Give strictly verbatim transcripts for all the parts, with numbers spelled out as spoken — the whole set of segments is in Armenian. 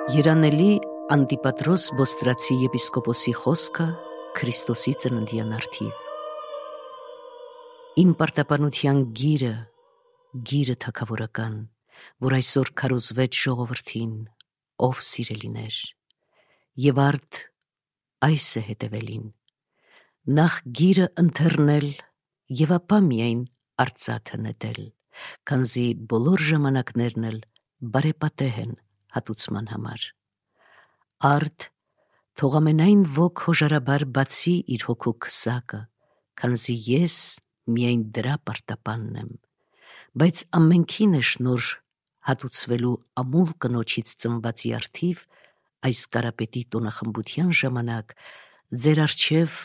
Երանելի Անտիպատրոս Բոստրացի եպիսկոպոսի խոսքը Քրիստոսի ծննդյան առթիվ։ Իմ պարտապանության գիրը, գիրը թագավորական, որ այսօր քարոզվեց ժողովրդին, ով սիրելիներ, եւ արդ այս է հետևելին, նախ գիրը ընթեռնել եւ ապա միայն արծաթը նետել, քանզի բոլոր ժամանակներն էլ բարեպատեհ են հատուցման համար։ Արդ թող ամենայն ոք հոժարաբար բացի իր հոգու քսակը, քանզի ես միայն դրա պարտապանն եմ, բայց ամենքին է շնոր հատուցվելու ամուլ կնոջից ծնվածի առթիվ այս կարապետի տոնախմբության ժամանակ ձեր առջև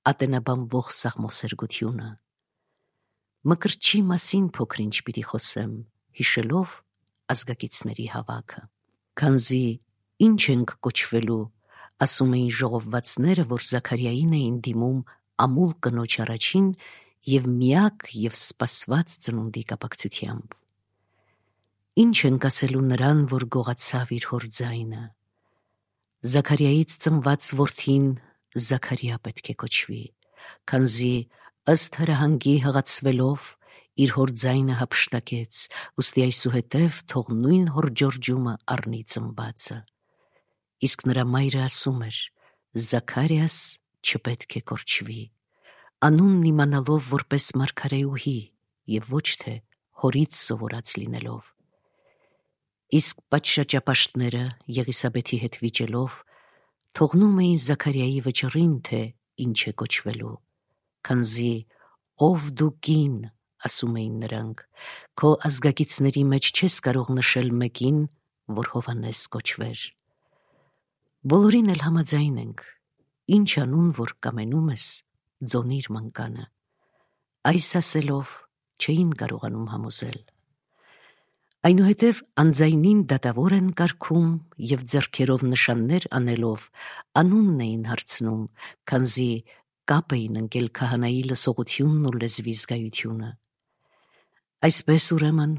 ատենաբանվող սաղմոսերգությունը։ Մկրտչի մասին փոքր-ինչ պիտի խոսեմ, հիշելով ազգակիցների հավաքը, քանզի ինչ ենք կոչվելու, ասում էին ժողովվածները, որ Զաքարիային էին դիմում ամուլ կնոջ առաջին եւ միակ եւ սպասված ծնունդի կապակցությամբ։ Ինչ ենք ասելու նրան, որ գողացավ իր հոր ձայնը։ Զաքարիայից ծնված որդին Զաքարիա պետք է կոչվի, քանզի ըստ հրահանգի հղացվելով իր հոր ձայնը հափշտակեց, ուստի այսուհետև թող նույն հոր ջորջումը առնի ծնվածը։ Իսկ նրա մայրը ասում էր. Զաքարիաս չպետք է կոչվի, անունն իմանալով որպես մարգարեուհի եւ ոչ թե հորից սովորած լինելով։ Իսկ պատշաճապաշտները Եղիսաբեթի հետ վիճելով թողնում էին Զաքարիայի վճռին, թե ինչ է կոչվելու, քանզի ով դու կին, ասում էին նրանք, քո ազգակիցների մեջ չես կարող նշել մեկին, որ Հովհաննես կոչվեր։ Բոլորին էլ համաձայն ենք, ինչ անուն որ կամենում ես, ձոնիր մանկանը։ Այս ասելով չէին կարողանում համոզել։ Այնուհետև անձայնին դատավոր են կարգում եւ ձեռքերով նշաններ անելով անունն էին հարցնում, քանզի կապ էին ընկել քահանայի լսողությունն ու լեզվի զգայությունը։ Այսպես ուրեմն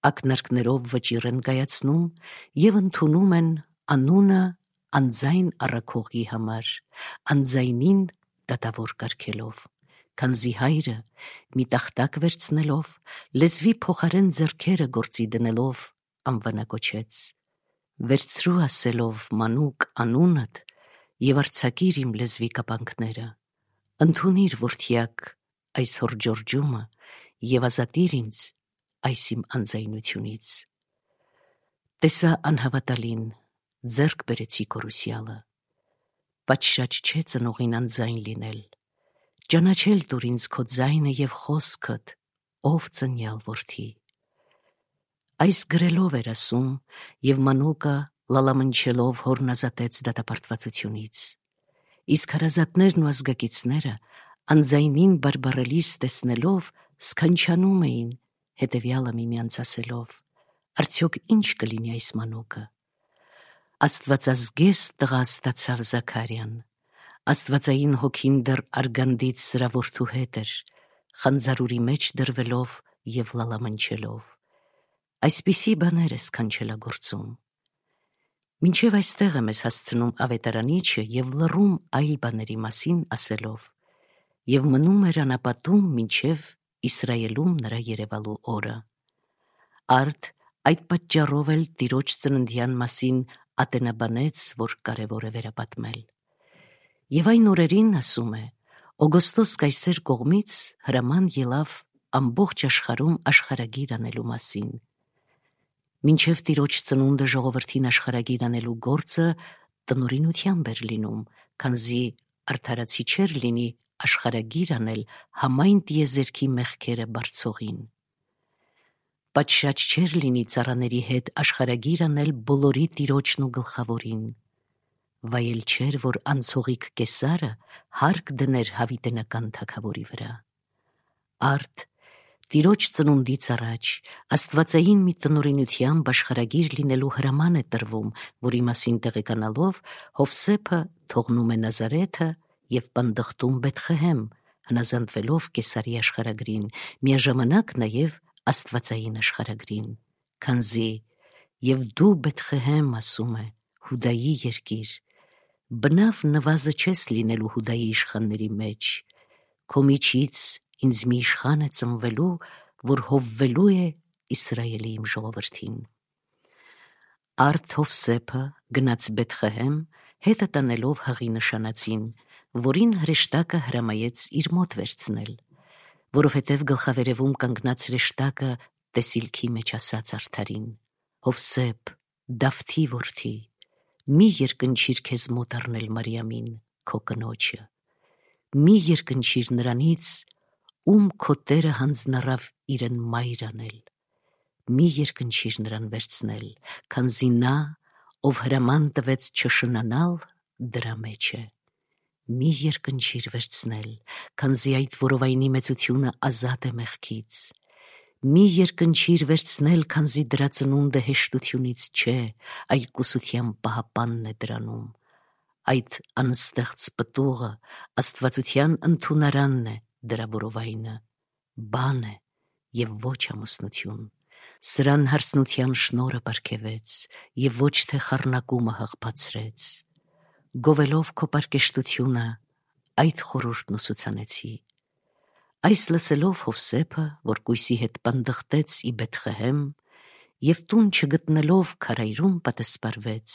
ակնարկներով վճիռ են կայացնում եւ ընդունում են անունը անձայն առաքողի համար, անձայնին դատավոր կարգելով, քանզի հայրը մի տախտակ վերցնելով, լեզվի փոխարեն ձեռքերը գործի դնելով անվանակոչեց, վերցրու ասելով մանուկ անունդ եւ արձակիր իմ լեզվի կապանքները, ընդունիր որդյակ այս հոր ջորջումը եւ ազատիր ինձ այս իմ անձայնությունից։ Տեսա անհավատալին, ձեռք բերեցի կորուսյալը, պատշաճ չէ ծնողին անձայն լինել, ճանաչել տուր ինձ քո ձայնը եւ խոսքդ, ով ծնյալ որդի։ Այս գրելով էր ասում եւ մանուկը լալամնչելով հորն ազատեց դատապարտվածությունից, իսկ հարազատներն ու ազգակիցները անձայնին բարբառելիս տեսնելով սքանչանում էին, հետևյալը միմյանց ասելով. արդյոք ինչ կլինի այս մանուկը։ Աստվածազգես տղա ստացավ Զաքարիան, աստվածային հոգին դեռ արգանդից սրա որդու հետ էր, խանձարուրի մեջ դրվելով եւ լալամնչելով։ Այսպիսի բաներ է սքանչելագործում։ Մինչև այստեղ է մեզ հասցնում ավետարանիչը եւ լռում այլ բաների մասին ասելով, եւ մնում էր անապատում մինչև Իսրայելում նրա երևալու օրը։ Արդ այդ պատճառով էլ տիրոջ ծննդյան մասին ատենաբանեց, որ կարևոր է վերապատմել։ Եվ այն օրերին, ասում է, Օգոստոս կայսեր կողմից հրաման ելավ ամբողջ աշխարհում աշխարհագիր անելու մասին։ Մինչև տիրոջ ծնունդը ժողովրդին աշխարհագիր անելու գործը տնօրինությամբ էր լինում, քանզի արդարացի չէր լինի աշխարհագիր անել համայն տիեզերքի մեղքերը բարձողին։ Պատշաճ չէր լինի ծառաների հետ աշխարհագիր անել բոլորի տիրոջն ու գլխավորին։ Վայել չէր, որ անցողիկ կեսարը հարկ դներ հավիտենական թագավորի վրա։ Արդ տիրոջ ծնունդից առաջ աստվածային մի տնօրինությամբ աշխարհագիր լինելու հրաման է տրվում, որի մասին տեղեկանալով Հովսեփը թողնում է Նազարեթը եւ պնդղտում Բեթխեհեմ, հնազանդվելով կեսարի աշխարհագրին, միաժամանակ նաեւ աստվածային աշխարհագրին, քանզի եւ դու Բեթխեհեմ, ասում է, Հուդայի երկիր, բնավ նվազը չես լինելու Հուդայի իշխանների մեջ, քո միջից ինձ մի իշխան է ծնվելու, որ հովվելու է Իսրայելի իմ ժողովրդին։ Արդ Հովսեփը գնաց Բեթխեհեմ, հետը տանելով հղի նշանածին, որին հրեշտակը հրամայեց իր մոտ վերցնել, որովհետև գլխավերևում կանգնած հրեշտակը տեսիլքի մեջ ասաց արդարին. Հովսեփ, Դավթի որդի, մի երկնչիր քեզ մոտ առնել Մարիամին, քո կնոջը, մի երկնչիր նրանից, ում քո Տերը հանձնառավ իրեն մայր անել, մի երկնչիր նրան վերցնել, քանզի նա, ով հրաման տվեց չշնանալ, դրա մեջ է, մի երկնչիր վերցնել, քանզի այդ որովայնի մեծությունը ազատ է մեղքից, մի երկնչիր վերցնել, քանզի դրա ծնունդը հեշտությունից չէ, այլ կուսության պահապանն է դրանում, այդ անստեղծ պտուղը աստվածության ընդունարանն է դրա որովայնը, բան է և ոչ ամուսնություն, սրան հարսնության շնորը պարգևեց և ոչ թե խառնակումը հղբացրեց, գովելով քո պարկեշտությունը, այդ խորհուրդն ուսուցանեցի։ Այս լսելով Հովսեփը, որ կույսի հետ պանդխտեց ի Բեթխեհեմ, և տուն չգտնելով քարայրում պատասպարվեց,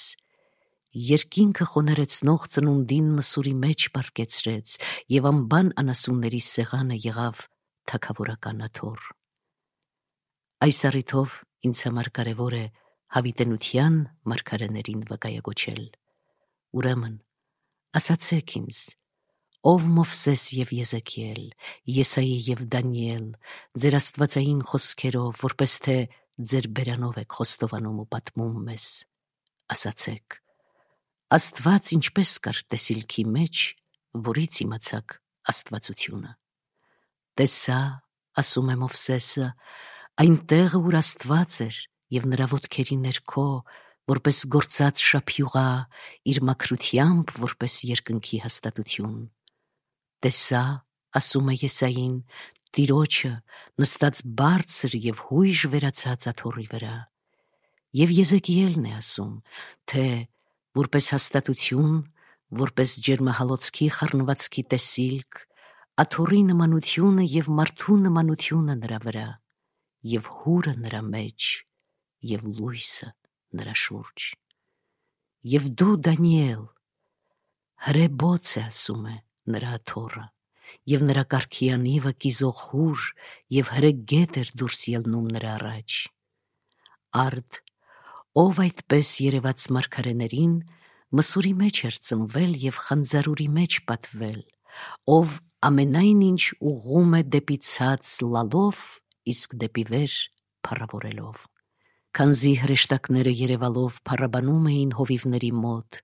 երկինքը խոնարեցնող ծնունդին մսուրի մեջ պարկեցրեց և անբան անասունների սեղանը եղավ թագավորական աթոռ։ Այս առիթով ինձ համար կարևոր է հավիտենության մարգարեներին վկայագոչել։ Ուրեմն, ասացեք ինձ, ով Մովսես և Եզեքիել, Եսայի և Դանիել, ձեր աստվածային խոսքերով, որպես թե ձեր բերանով եք խոստովանում ու պատմում մեզ, ասացեք, Աստված ինչպես կար տեսիլքի մեջ, որից իմացաք աստվածությունը։ Տեսա, ասում է Մովսեսը, այն տեղը, ուր Աստված էր, և նրա ոտքերի ներքո, որպես գործած շափյուղա, իր մաքրությամբ, որպես երկնքի հաստատություն։ Տեսա, ասում է Եսային, Տիրոջը նստած բարձր և հույժ վերացած աթոռի վրա։ Եվ Եզեկիելն է ասում, թե որպես հաստատություն, որպես ջերմահալոցքի խառնվածքի տեսիլք, աթոռի նմանությունը և մարդու նմանությունը նրա վրա, և հուրը նրա մեջ, և լույսը նրա շուրջ։ Եվ դու, Դանիել, հրե բոց է, ասում է, նրա աթոռը, և նրա կառքի անիվը կիզող հուր և հրե գետ էր դուրս ելնում նրա առաջ։ Արդ, ով այդպես երևաց մարգարեներին, մսուրի մեջ էր ծնվել և խանձարուրի մեջ պատվել, ով ամենայն ինչ ուղղում է դեպի ցած լալով, իսկ դեպի վեր փառավորելով։ Քանզի հրեշտակները երևալով փառաբանում էին հովիվների մոտ,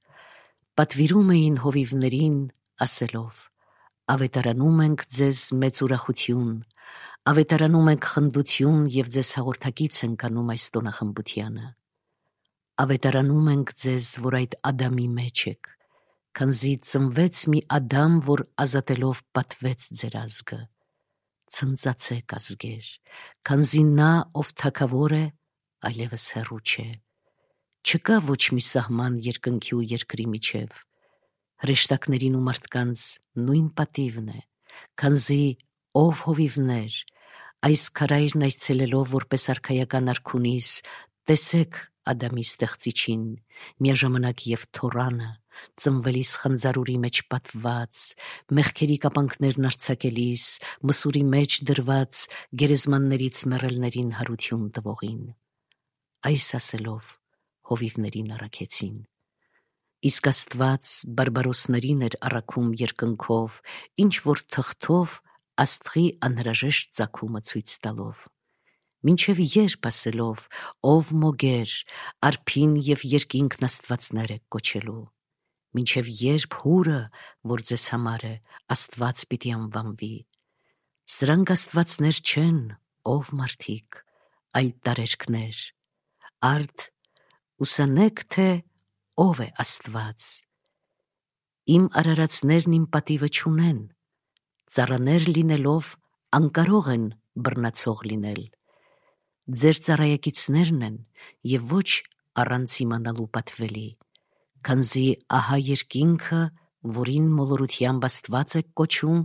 պատվիրում էին հովիվներին, ասելով. Ավետարանում ենք ձեզ մեծ ուրախություն, ավետարանում ենք խնդություն և ձեզ հաղորդակից ենք անում այս տոնախմբությանը։ Ավետարանում ենք ձեզ, որ այդ Ադամի մեջ եք, քանզի ծնվեց մի Ադամ, որ ազատելով պատվեց ձեր ազգը։ Ցնծացեք, ազգեր, քանզի նա, ով թագավոր է, այլևս հեռու չէ։ Չկա ոչ մի սահման երկնքի ու երկրի միջև, հրեշտակներին ու մարդկանց նույն պատիվն է, քանզի ով հովիվներ, այս քարայրն այցելելով որպես արքայական արքունիս, տեսեք Ադամի ստեղծիչին, միաժամանակ և Թորանը, ծնվելիս խանձարուրի մեջ պատված, մեղքերի կապանքներն արձակելիս, մսուրի մեջ դրված, գերեզմաններից մեռելներին հարություն տվողին։ Այս ասելով հովիվներին առաքեցին։ Իսկ Աստված բարբարոսներին էր առաքում երկնքով, ինչ որ թղթով աստղի անհրաժեշտ ծագումը ցույց տալով։ Մինչև երբ ասելով, ով մոգեր, արփին և երկինքն աստվածներ եք կոչելու, մինչև երբ հուրը, որ ձեզ համար է, Աստված պիտի անվանվի։ Սրանք աստվածներ չեն, ով մարդիկ, այլ տարերքներ։ Արդ ուսանեք, թե ով է Աստված։ Իմ արարածներն իմ պատիվը չունեն, ծառաներ լինելով անկարող են բռնացող լինել։ Ձեր ծառայակիցներն են և ոչ առանց իմանալու պատվելի, քանզի ահա երկինքը, որին մոլորությամբ Աստված եք կոչում,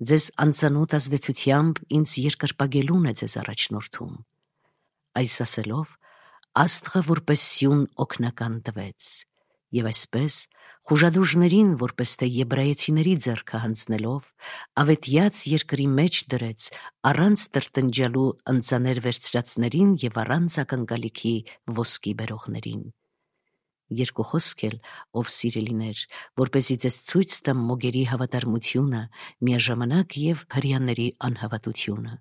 ձեզ անծանոթ ազդեցությամբ ինձ երկրպագելուն է ձեզ առաջնորդում։ Այս ասելով, Աստղը որպես սյուն օգնական տվեց, և այսպես խուժադուժներին, որպես թե եբրայեցիների ձեռքը հանձնելով, ավետյաց երկրի մեջ դրեց առանց տրտնջալու ընծաներ վերցրածներին և առանց ակնկալիքի ոսկի բերողներին։ Երկու խոսք էլ, ով սիրելիներ, որպեսզի ձեզ ցույց տամ մոգերի հավատարմությունը, միաժամանակ և հրեաների անհավատությունը։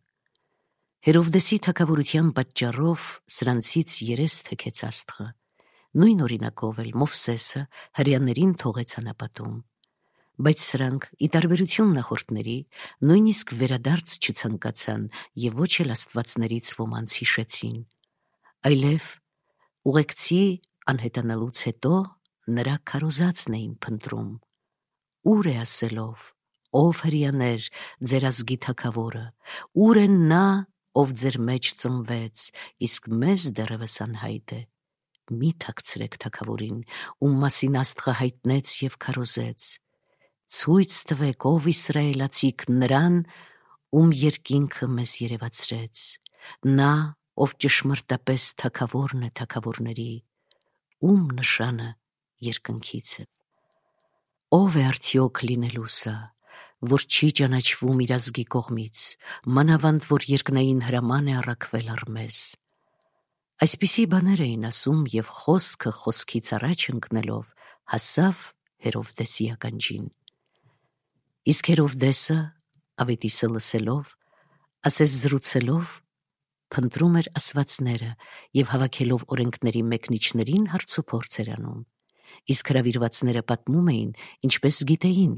Հերովդեսի թագավորության պատճառով սրանցից երես թեքեց Աստղը, նույն օրինակով էլ Մովսեսը հրեաներին թողեց անապատում, բայց սրանք, ի տարբերություն նախորդների, նույնիսկ վերադարձ չցանկացան և ոչ էլ աստվածներից ոմանց հիշեցին, այլև ուղեկցի անհետանալուց հետո նրա քարոզածն էին փնտրում, ուր է ասելով, ով հրեաներ, ձեր ազգի թագավորը, ուր է նա, ով ձեր մեջ ծնվեց, իսկ մեզ դեռևս անհայտ է։ Մի թաքցրեք թագավորին, ում մասին Աստղը հայտնեց և քարոզեց, ցույց տվեք, ով իսրայելացիք, նրան, ում երկինքը մեզ երևացրեց, նա, ով ճշմարտապես թագավորն է թագավորների, ում նշանը երկնքից է։ Ով է արդյոք լինելու սա, որ չի ճանաչվում իր ազգի կողմից, մանավանդ որ երկնային հրաման է առաքվել առ մեզ։ Այսպիսի բաներ էին ասում, և խոսքը խոսքից առաջ ընկնելով հասավ Հերովդեսի ականջին։ Իսկ Հերովդեսը, ավետիսը լսելով, ասես զրուցելով, փնտրում էր ասվածները և հավաքելով օրենքների մեկնիչներին հարցուփորձ էր անում, իսկ հրավիրվածները պատմում էին, ինչպես գիտեին,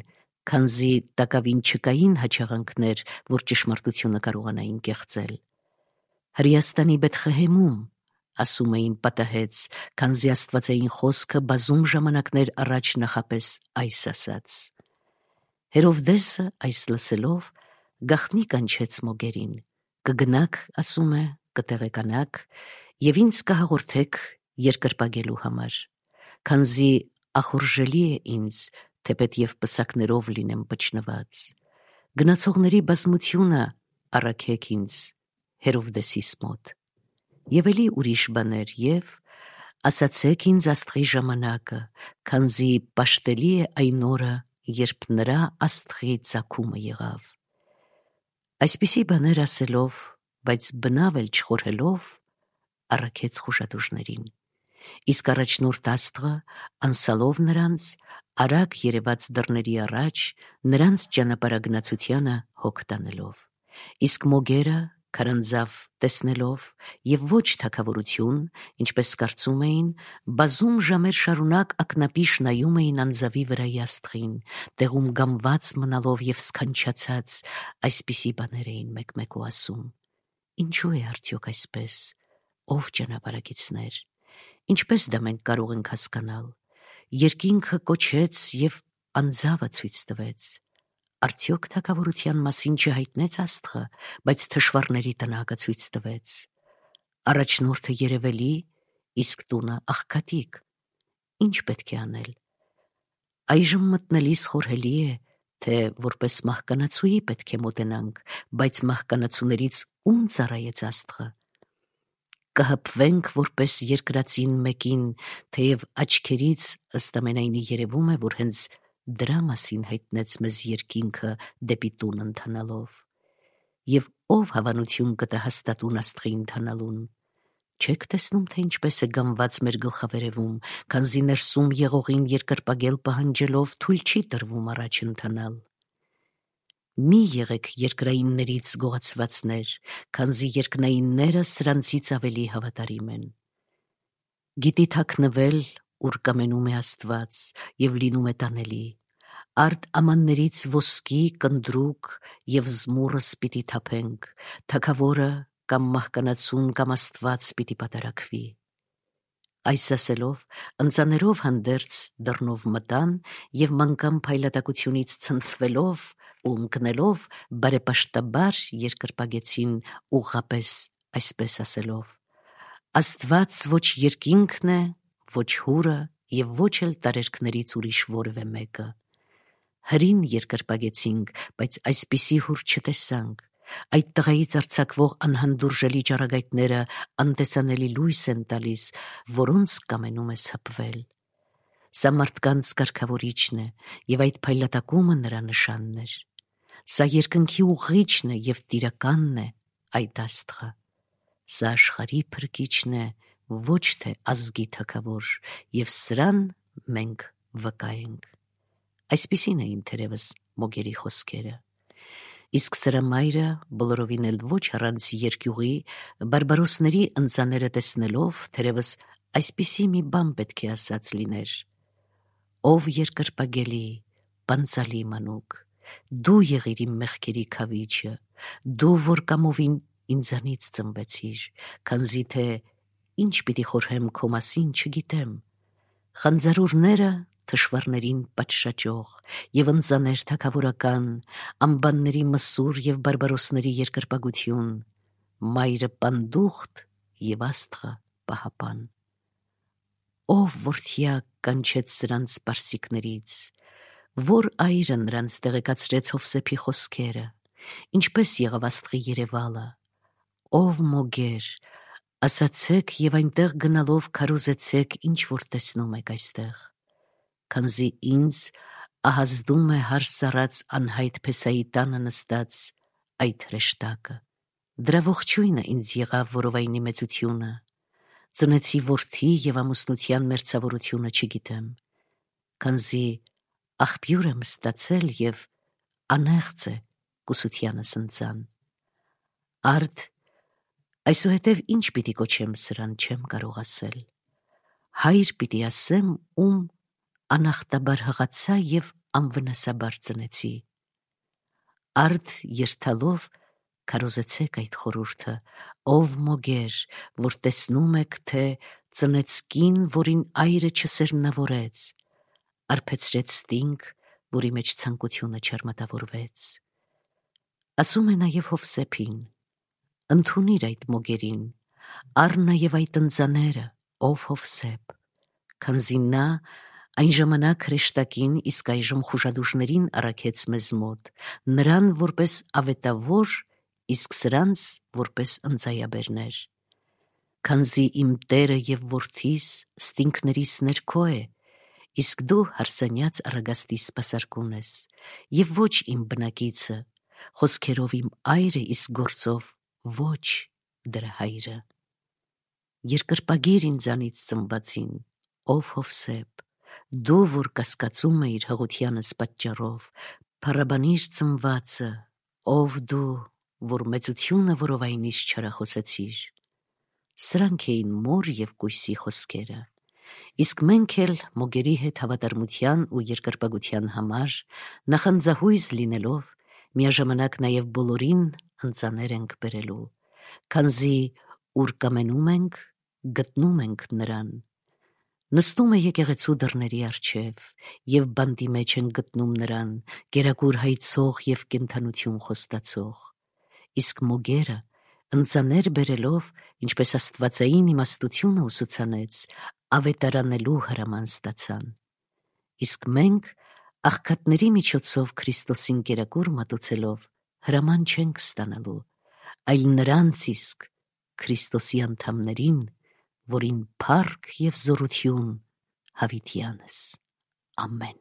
քանզի տակավին չկային հաճախանքներ, որ ճշմարտությունը կարողանային կեղծել։ Հրեաստանի Բեթխեհեմում, ասում էին, պատահեց, քանզի աստվածային խոսքը բազում ժամանակներ առաջ նախապես այս ասաց։ Հերովդեսը այս լսելով գաղտնի կանչեց մոգերին, կգնաք, ասում է, կտեղեկանաք և ինձ կհաղորդեք երկրպագելու համար, քանզի ախորժելի է ինձ, թեպետ և պսակներով լինեմ պչնված, գնացողների բազմությունը առաքեք ինձ Հերովդեսիս մոտ, և էլի ուրիշ բաներ, և ասացեք ինձ Աստղի ժամանակը, քանզի պաշտելի է այն օրը, երբ նրա Աստղի ծագումը եղավ։ Այսպիսի բաներ ասելով, բայց բնավ էլ չխորհելով, առաքեց խուժադուժներին, իսկ առաջնորդ Աստղը, անսալով նրանց, արագ երևաց դռների առաջ, նրանց ճանապարհագնացությանը հոգ տանելով, իսկ մոգերը քարանձավ տեսնելով և ոչ թագավորություն, ինչպես կարծում էին, բազում ժամեր շարունակ ակնապիշ նայում էին անձավի վրայի Աստղին, տեղում գամված մնալով և սքանչացած, այսպիսի բաներ էին մեկ-մեկու ասում. Ինչու է արդյոք այսպես, ով ճանապարհագիցներ, ինչպես դա մենք կարող ենք հասկանալ, երկինքը կոչեց և անձավը ցույց տվեց, արդյոք թագավորության մասին չհայտնեց Աստղը, բայց թշվառների տնակը ցույց տվեց, առաջնորդը երևելի, իսկ տունը աղքատիկ, ինչ պետք է անել։ Այժմ մտնելիս խորհելի է, թե որպես մահկանացուի պետք է մոտենանք, բայց մահկանացուներից ում ծառայեց Աստղը։ Կհպվենք որպես երկրածին մեկին, թեև աչքերից ըստ ամենայնի երևում է, որ հենց դրա մասին հայտնեց մեզ երկինքը դեպի տուն ընթանալով։ Եվ ով հավանություն կտա հաստատուն Աստղի ընթանալուն։ Չեք տեսնում, թե ինչպես է գամված մեր գլխավերևում, քանզի ներսում եղողին երկրպագել պահանջելով թույլ չի տրվում առաջ ընթանալ։ Մի եղեք երկրայիններից գողացվածներ, քանզի երկնայինները սրանցից ավելի հավատարիմ են։ Գիտի թաքնվել, ուր կամենում է Աստված, և լինում է տանելի, արդ ամաններից ոսկի, կնդրուկ և զմուռս պիտի թափենք, թագավորը կամ մահկանացուն կամ Աստված պիտի պատարագվի։ Այս ասելով, ընծաներով հանդերձ դռնով մտան և մանկան փայլատակությունից ցնցվելով ու ընկնելով բարեպաշտաբար երկրպագեցին ուղղապես այսպես ասելով. Աստված ոչ երկինքն է, ոչ հուրը եւ ոչ էլ տարերքներից ուրիշ որևէ մեկը։ Հրին երկրպագեցինք, բայց այսպիսի հուր չտեսանք։ Այդ տղայից արձակվող անհանդուրժելի ճառագայթները անտեսանելի լույս են տալիս, որոնց կամենում ես հպվել։ Սա մարդկանց կարգավորիչն է, եւ այդ փայլատակումը նրա նշանն էր։ Սա երկնքի ուղղիչն է եւ տիրականն է այդ աստղը։ Սա աշխարհի փրկիչն է, ոչ թե ազգի թագավոր, եւ սրան մենք վկա ենք։ Այսպիսին էին թերևս Մոգերի խոսքերը։ Իսկ սրա մայրը բոլորովին էլ ոչ առանց երկյուղի բարբարոսների ընծաները տեսնելով թերևս այսպիսի մի բան պետք է ասած լիներ. «Ով երկրպագելի, բանցալի մանուկ, դու եղիր իմ մեղքերի քավիչը, դու որ կամովին ինձանից ծնվեցիր, քանզի թե ինչ պիտի խորհեմ քո մասին չգիտեմ, խանձարուրները թշվառներին պատշաճող եւ ընծաներ թագավորական, անբանների մսուր եւ բարբարոսների երկրպագություն, մայրը պանդուխտ եւ աստղը պահապան։ Ով որդյակ կանչեց սրանց պարսիկներից, որ այրը նրանց տեղեկացրեց Հովսեփի խոսքերը, ինչպես եղավ աստղի երևալը, ով Մոգեր, ասացեք եւ այնտեղ գնալով քարոզեցեք, ինչ որ տեսնում եք այստեղ, քանզի ինձ ահազդում է հարս առած անհայտ Փեսայի տանը նստած այդ հրեշտակը։ Դրա ողջույնը ինձ եղավ որովայնի մեծությունը, ծնեցի որդի եւ ամուսնության մերձավորությունը չգիտեմ, քանզի աղբյուր եմ ստացել եւ անեղծ է կուսությանս ընծան։ Արդ այսուհետև ինչ պիտի կոչեմ սրան չեմ կարող ասել։ Հայր պիտի ասեմ, ում անախտաբար հղացա եւ անվնասաբար ծնեցի։ Արդ երթալով քարոզեցեք այդ խորհուրդը, ով Մոգեր, որ տեսնում եք, թե ծնեց կին, որին այրը չսերմնավորեց, արբեցրեց ստինգ, որի մեջ ցանկությունը չարմատավորվեց։ Ասում է նաև Հովսեփին. ընդունիր այդ Մոգերին, առ նաև այդ ընծաները, ով Հովսեփ, քանզի նա այն ժամանակ հրեշտակին, իսկ այժմ խուժադուժներին առաքեց մեզ մոտ, նրան որպես ավետավոր, իսկ սրանց որպես ընծայաբերներ։ Քանզի իմ Տերը եւ որդիս ստինքներիս ներքո է, իսկ դու հարսանյաց առագաստի սպասարկուն ես, եւ ոչ իմ բնակիցը, խոսքերով իմ այրը, իսկ գործով ոչ դրա հայրը։ Երկրպագիր ինձանից ծնվածին, ով Հովսեփ, դու որ կասկածում էիր հղությանս պատճառով, փառաբանիր ծնվածը, ով դու, որ մեծությունը որովայնից չարախոսեցիր։ Սրանք էին մոր եւ կույսի խոսքերը, իսկ մենք էլ Մոգերի հետ հավատարմության ու երկրպագության համար նախանձահույզ լինելով, միաժամանակ նաեւ բոլորին ընծաներ ենք բերելու, քանզի ուր կամենում ենք, գտնում ենք նրան։ Նստում է եկեղեցու դռների առջև, եւ բանտի մեջ են գտնում նրան, կերակուր հայցող եւ կենդանություն խոստացող։ Իսկ Մոգերը ընծաներ բերելով, ինչպես աստվածային իմաստությունը ուսուցանեց, ավետարանելու հրաման ստացան։ Իսկ մենք աղքատների միջոցով Քրիստոսին կերակուր մատուցելով հրաման չենք ստանալու, այլ նրանց իսկ Քրիստոսի անդամներին, որին փառք եւ զորություն հավիտյանս։ Ամեն։